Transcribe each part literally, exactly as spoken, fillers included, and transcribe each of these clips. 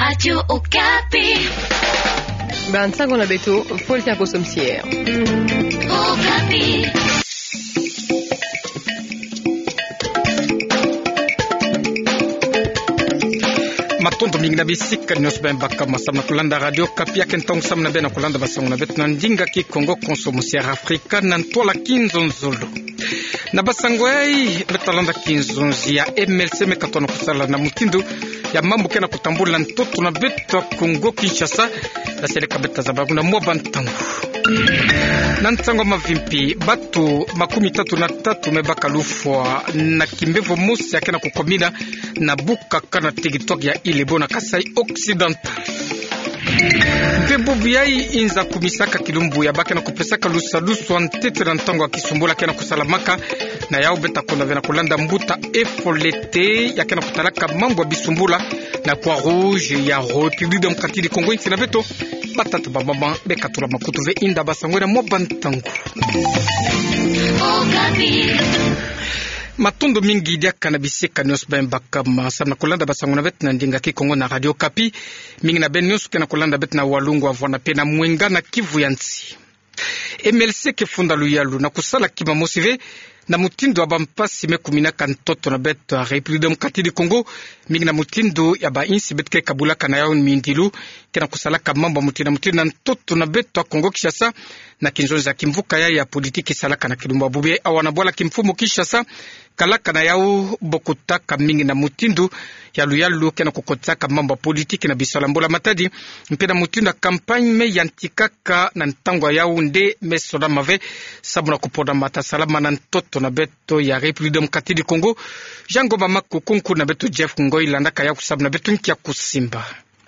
Radio Okapi. Bansango na beto, Faustin Aposo Msier. Okapi. Matondo mingi na bisika nyonso beno baka ma samu na kulanda Radio Okapi. Ya ke ntangu samu na beno kulanda basango na beto na ndinga Kikongo, konso mu Sierra Afrika na ntwala kinzonzolo. Na basango yai, beta landa kinzonzi ya M L C me katono kusala na mutindu ya mambu ke na kutambula ntoto na beto ya Kongo Kinshasa, na seleka beta zaba kuna mwa bantangu. Na nsangu mavimpi, bato makumi tatu na tatu me baka lufwa na kimbevo mosi ya ke na kukomina na Bukaka na territoire ya Ilebo na Kasaï Occidental. Mpe bubu yai inza kumisaka kilumbu ya ba ke na kupesaka lusadusu ya ntete na ntangu ya kisumbula ke na kusalamaka, na yau beta konda ve na kulanda mbuta Efolete ya ke na kutalaka mambu ya bisumbula na Croix-Rouge ya République Démocratique du Congo. Insi na beto, batata, bamama, bekatula makutu ve, inda basango na mwa bantangu. Matondo mingi diaka na bisika nyonso beno baka ma samu na kulanda basango na beto na ndinga Kikongo na Radio Okapi. Mingi na beno nyonso ke na kulanda beto na Walungu, Avwana mpe na Mwenga na Kivu ya Nsi. M L C ke funda luyalu na kusala kima mosi ve na mutindu ya bampasi me kuminaka ntoto na beto ya République Démocratique du Congo, mingi na mutindu ya bainsi beto ke kabulaka na yau mindilu ke na kusalaka mambu ya mutindu na mutindu na ntoto na beto ya Kongo Kinshasa. Na kinzonzi ya kimvuka yai ya politiki salaka na kilumbu ya bubu yai awa na bwala kimfumu Kinshasa, kalaka na yau bokutaka mingi na mutindu ya luyalu ke na kukotisaka mambu ya politiki na bisalu ya mbula matadi, mpe na mutindu ya campagne me yantikaka na ntangu ya yau nde me sonama ve samu na kuponama ta salama na ntoto na beto ya République Démocratique du Congo. Jean Ngoma Makoko, nkuna beto Jeff Ngoy landaka yau samu na beto nki ya kusimba.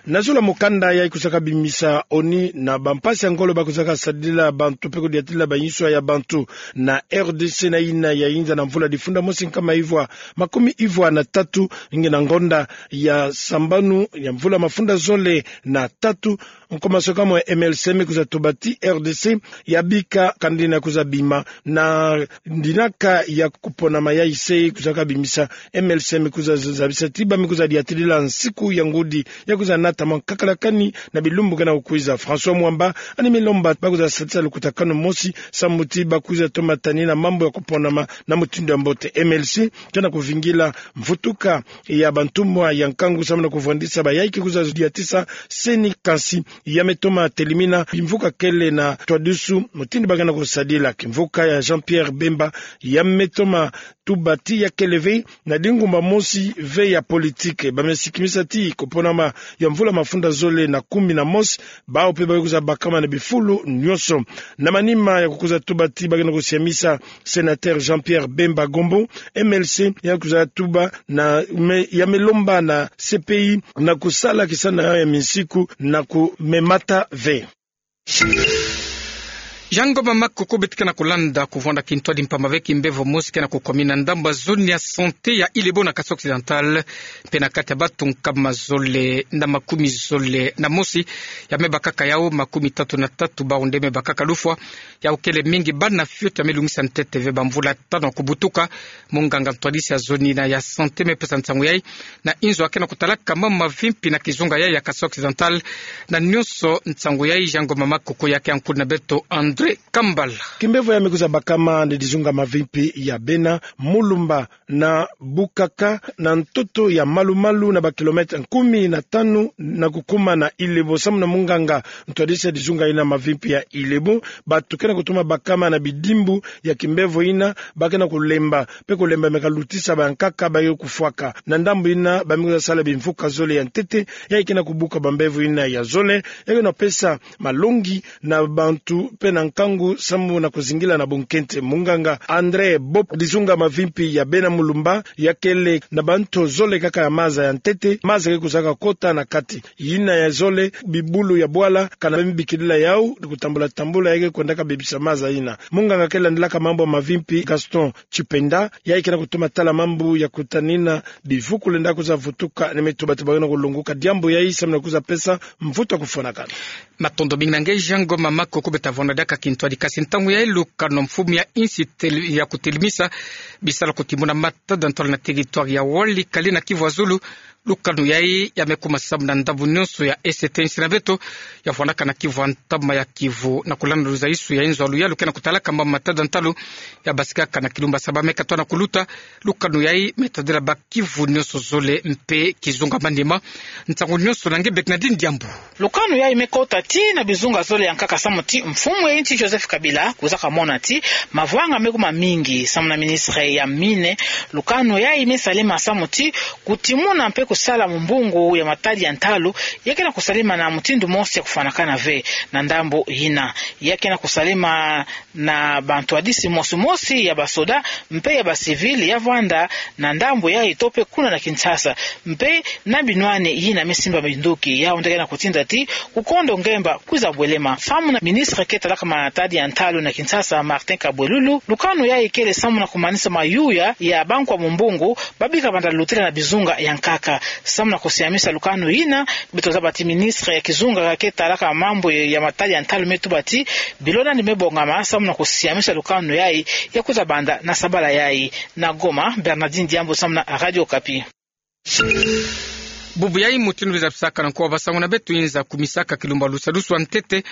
Na zulu ya mukanda yai kuzaka bimisa ONU na bampasi ya ngolo ba kuzaka sadila bantu mpe kudiatila bayinswa ya bantu na R D C na yina ya inza na mvula difunda mosi nkama ivwa makumi ivwa na tatu, nge na ngonda ya sambanu ya mvula mafunda zole na tatu, nkomasokamo ya M L C me kuza tuba ti R D C ya bika kandina kuza bima na ndinaka ya kuponama yai se kuzaka bimisa. M L C me kuza zabisa ti ba me kuza diatilila nsiku ya ngudi ya kuza nata mwa nkakalakani na bilumbu ke na kukwiza. François Mwamba ani me lomba ba kuza satisa lukutakanu mosi samu ti ba kuza tomatani na mambu ya kuponama na mutindu ya mbote. M L C ke na kuvingila mvutuka ya bantumwa ya nkangu samu na kuvwandisa bayai ke kuza diatisa seni, kansi ya me toma telimina bimvuka kele na twadusu mutindu ba ke na kusadila. Kimvuka ya Jean-Pierre Bemba ya me toma tuba ti ya kele ve na dingumba mosi ve ya politike. Ba me sikimisa ti kuponama ya mvula mafunda zole na kumi na mosi, bawu mpe ba ke kuza bakama na bifulu nyonso. Na manima ya kukuza tuba ti ba ke na kusiamisa sénateur Jean-Pierre Bemba Gombo, M L C ya kuza tuba na me, ya me lomba na C P I na kusala kisana ya minsiku na kumemata ve. Jean Ngoma Makoko, beto ke na kulanda kuvwanda kintwadi mpamba ve kimbevo mosi ke na kukomina ndambu ya zone ya santé ya Ilebo na Kasaï Occidental, mpe na kati ya bato nkama zole na makumi zole na mosi ya me bakaka yau, makumi tatu na tatu bawu nde me bakaka lufwa. Yau kele mingi bana fioti ya me lungisa ntete ve bamvula tanu ya kubutuka. Munganga ntwadisi ya zone yina ya santé me pesa nsangu yai na inzo ya ke na kutalaka mambu mavimpi na kizunga yai ya Kasaï Occidental. Na nyonso nsangu yai, Jean Ngoma Makoko ya ke nkuna beto André Kambala. Kimbevo ya me kuza bakama na dizunga mavimpi ya Bena, Mulumba na Bukaka, na ntoto ya malu-malu na ba kilomètre kumi na tanu na kukuma na Ilebo. Samu na munganga ntwadisi ya dizunga yina mavimpi ya Ilebo, bato ke na kutoma bakama na bidimbu ya kimbevo yina, ba ke na kulemba, mpe kulemba me kalutisa bankaka ba ke kufwaka. Na ndambu yina ba me kuza sala bimvuka zole ya ntete, yai ke na kubuka bambevo yina ya zole, yai ke na pesa malongi na bantu mpe na nkangu samu na kuzingila na bunkente. Munganga André Bob, dizunga mavimpi ya Bena, Mulumba, ya kele na banto zole kaka ya maza ya ntete, maza ke kuzaka kota na kati. Yina ya zole, bibulu ya bwala, kana ba me bikidila yau, kutambula-tambula, yai ke kwendaka bebisa maza yina. Munganga ke landilaka mambu mavimpi, Gaston Chipenda, yai ke na kutoma tala mambu ya kutanina bivuku lenda kuza vutuka, ni me tuba ti ba ke na kulonguka diambu yai samu na kuza pesa mvutu ya kufwanakana. Matondo mingi na nge Jean Ngoma Makoko. Beta vwanda diaka kintwadi. Kasi ntangu yayi lukanu mfumu ya insi tel-, ya kutelimisa bisalu kutimuna matada ntalu na territoire ya Walikale na Kivu ya Zulu, lukanu yayi ya me kuma samu na ndambu nionso ya est ya insi na beto, ya vwandaka na kivu ya ntama ya Kivu. Na kulanda luzaisu ya inzo ya luyalu ke na kutalaka mama matada ntalu ya basikaka na kilumbu ya saba me katwa na kuluta, lukanu yayi me tadila ba kivu nionso zole mpe kizunga manima. Nsangu nionso na nge Bernardine Diambu. Lukanu yayi me kota tii na bizunga zole ya nkaka samu ti mfumu ya insi Joseph Kabila kwiza kamona ti mavwanga me kuma mingi. Samu na ministre ya mine, lukanu yayi me salema samu ti kutimuna mpe kusala mumbungu ya matadi ya ntalu ya ke na kusalema na mutindu mosi ya kufwanakana ve. Na ndambu yina, ya ke na kusalema na bantwadisi mosi mosi ya basoda mpe ya bacivil ya vwanda na ndambu yayi to mpe kuna na Kinshasa. Mpe na binwani yina me simba minduki, yau nde ke na kutinda ti kukondo ngemba kwiza bwelema. Samu na ministre ke talaka matadi ya ntalu na Kinshasa, Martin Kabwelulu, lukanu yayi kele samu na kumanisa mayuya ya bankwa mumbungu ba bika banda lutila na bizunga ya nkaka. Samu na kusiamisa lukanu yina, beto zaba ti ministre ya kizunga ke talaka mambu ya matadi ya ntalu me tuba ti bilo nandi me bongama samu na kusiamisa lukanu yayi ya kwiza banda na sabala yayi. Na Goma, Bernardine Diambu samu na Radio Okapi. Bubu yayi mutindu biza bisaka na nkuwa basangu na beto, inza kumisaka kilumbu ya lusadusu ya ntete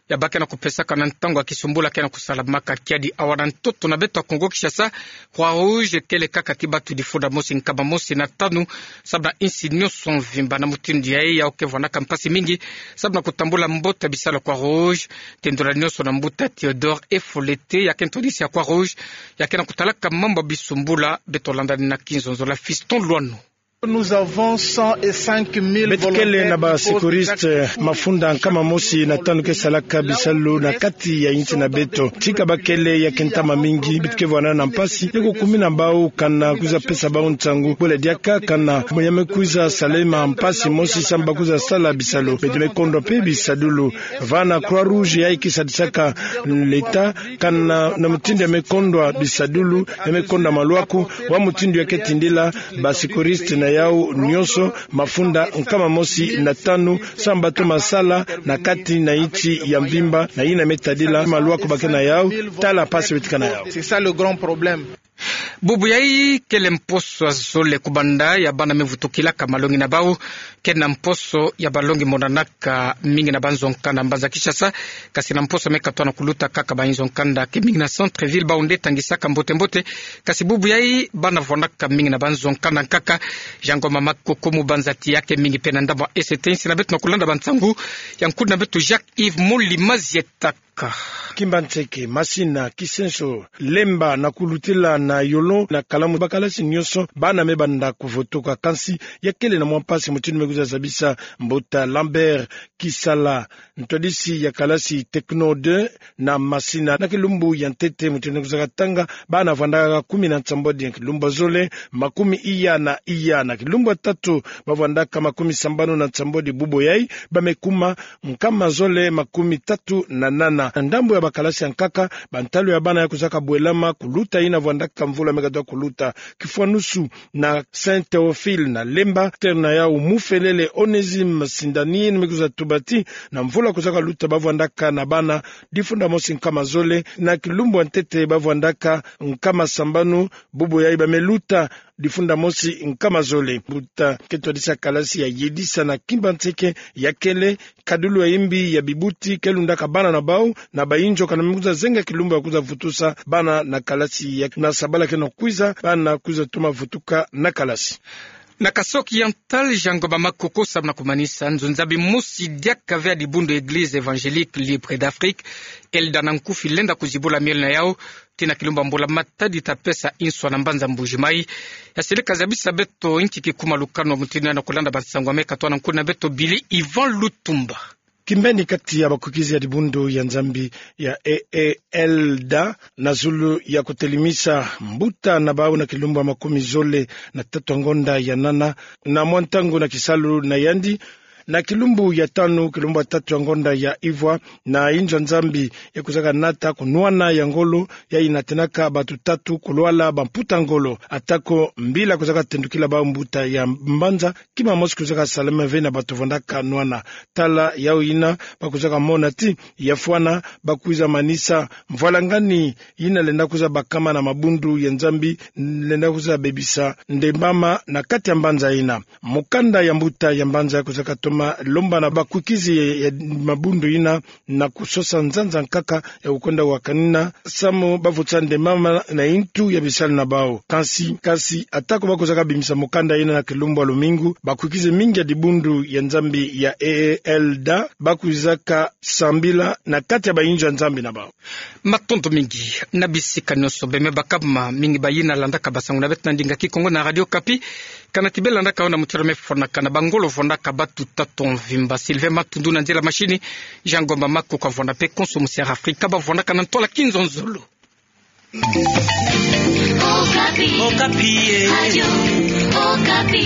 ya ba ke na kupesaka na ntangu ya kisumbula ke na kusalamaka kiadi awa na ntoto na beto ya Kongo Kinshasa. Croix Rouge kele kaka ti batu difunda mosi nkama mosi na tanu samu na insi nionso mvimba. Na mutindu yayi, yau ke vwandaka mpasi mingi samu na kutambula mbote ya bisalu ya Croix Rouge. Tendula nionso na mbuta Theodore Efolete, ya ke ntwadisi ya Croix Rouge, ya ke na kutalaka mambu ya bisumbula. Beto landani na kinzonzolo ya Fiston Lwano. Nous avons cent et cinq mille volontaires. Beto kele na ba secouristes mafunda nkama mosi na tanu ke salaka bisalu na kati ya insi na beto. Tika ba kele ya ke ntama mingi, beto ke vwanda na mpasi ya kukumina bau, kana kwiza pesa bau nsangu bole diaka, kana moyen me kwiza salema mpasi mosi samu ba kwiza sala bisalu. Beto me kondwa mpe bisadulu. Va na Croix Rouge yayi ke sadisaka l'État, kana na mutindu ya me kondwa bisadulu, ya me kondwa malwaku, wa mutindu ya ke tindila ba secouristes na yau nionso mafunda nkama mosi na tanu samu ba toma sala na kati na insi ya mvimba, na yina me tadila malwaku ba ke na yau, tala mpasi beto ke na yau. C'est ça le grand problème. Bubu yayi kele mposo ya zole kubanda ya bana me vutukilaka malongi na bau, ke na mposo ya balongi monanaka mingi na banzo nkanda mbanza Kinshasa, kasi na mposo me katwa na kuluta kaka ba inzo nkanda ke mingi na centre-ville, bau nde tangisaka mbote-mbote. Kasi bubu yayi bana vwandaka mingi na banzo nkanda nkaka. Jean Ngoma Makoko, mubanzati ya ke mingi mpe na ndambu ya est ya insi na beto na kulanda bansangu ya nkudi na beto Jacques Yves Moli Mazieta. Ka. Kimbanseke, Masina, Kisenso, Lemba na kulutila na Yolo na Kalamu, bakalasi nionso bana me banda kuvutuka. Kansi ya kele na mwa mpasi mutindu me kwiza zabisa mbuta Lambert Kisala, ntwadisi ya kalasi Techno deux na Masina. Na kilumbu ya ntete mutindu me kwiza katanga, bana vwandaka kumi na nsambwadi. Kilumbu ya zole, makumi iya na iya. Na kilumbu ya tatu, ba vwandaka makumi sambanu na nsambwadi. Bubu yayi ba me kuma nkama zole makumi tatu na nana. Na ndambu ya bakalasi ya nkaka, bantalu ya bana ya kwizaka bwelama kuluta yina vwandaka mvula me katwa kuluta. Kifwanusu na Saint Théophile na Lemba, terrain na yau Mufelele Onésime Sindani me kwiza tuba ti na mvula kwizaka luta ba vwandaka na bana difunda mosi nkama zole, na kilumbu ya ntete ba vwandaka nkama sambanu. Bubu yayi ba me luta difunda mosi nkama zole. Mbuta ke ntwadisi ya kalasi ya yedisa na Kimbanseke ya kele, kadulu ya yimbi ya bibuti ke lundaka bana na bau na bayinzo, kana me kwiza zenga kilumbu ya kwiza vutusa bana na kalasi ya, na sabala ke na kwiza, bana kwiza toma vutuka na kalasi. Na Kasaï Oriental, Jean Ngoma Makoko, samu na kumanisa, nzo nzambi mosi diaka ve ya dibundu Église Évangélique Libre d'Afrique, ELDA na nkufi, lenda kuzibula miole na yau tii na kilumbu ya mbula matadi ta pesa inswa na mbanza Mbuji Mayi. Ya sele kazabisa beto nki kikuma lukanu ya mutindu yina, na kulanda bansangu ya me katwa na nkudi na beto Billy Yvan Lutumba. Kimbeni kati ya bakukizi ya dibundu ya nzambi ya E E L D A na zulu ya kutelimisa mbuta na bau na kilumbu ya makumi zole na tatu ya ngonda ya nana, na mwa ntangu na kisalu na yandi, Na kilumbu ya tanu, kilumbu ya tatu ya ngonda ya ivwa, na inzo ya Nzambi ya kwizaka nata kunwana ya ngolo, yayi natenaka bato tatu kulwala bamputa ngolo. Atako mbila kwizaka tendukila bau mbuta ya mbanza, kima mosi kwizaka salama ve na bato vandaka nwana. Tala yau yina, ba kwizaka mona ti, ya fwana, ba kwiza manisa mvwalangani yina lenda kwiza bakama na mabundu ya Nzambi, lenda kwiza bebisa ndembama na kati ya mbanza yina. Mukanda ya mbuta ya mbanza kwizaka toma lomba na bakwikizi ya, ya mabundu yina na kusosa nzanza nkaka ya kukwenda wakanina samu ba vutisa ndembama na intu ya bisalu na bau. Kansi, kansi, atako ba kwizaka bimisa mukanda yina na kilumbu ya lumingu, bakwikizi mingi ya dibundu ya Nzambi ya E E L D A ba kwizaka sambila na kati ya bainzo ya Nzambi na bau. Matondo mingi na bisika nyonso beno me baka buma. Mingi bayina landaka basangu na beto na ndinga Kikongo na Radio Okapi. Kana ti beno landaka yo na mutindu me fwanakana, bangolo vandaka bato tatu mvimba. Sylvain Matundu na nzila machine, Jean Ngomba Makuku avanda pe konso mu Sierra Africa, ba vandaka na ntola kinzonzolo. Okapi. Okapi, eh. Radio Okapi.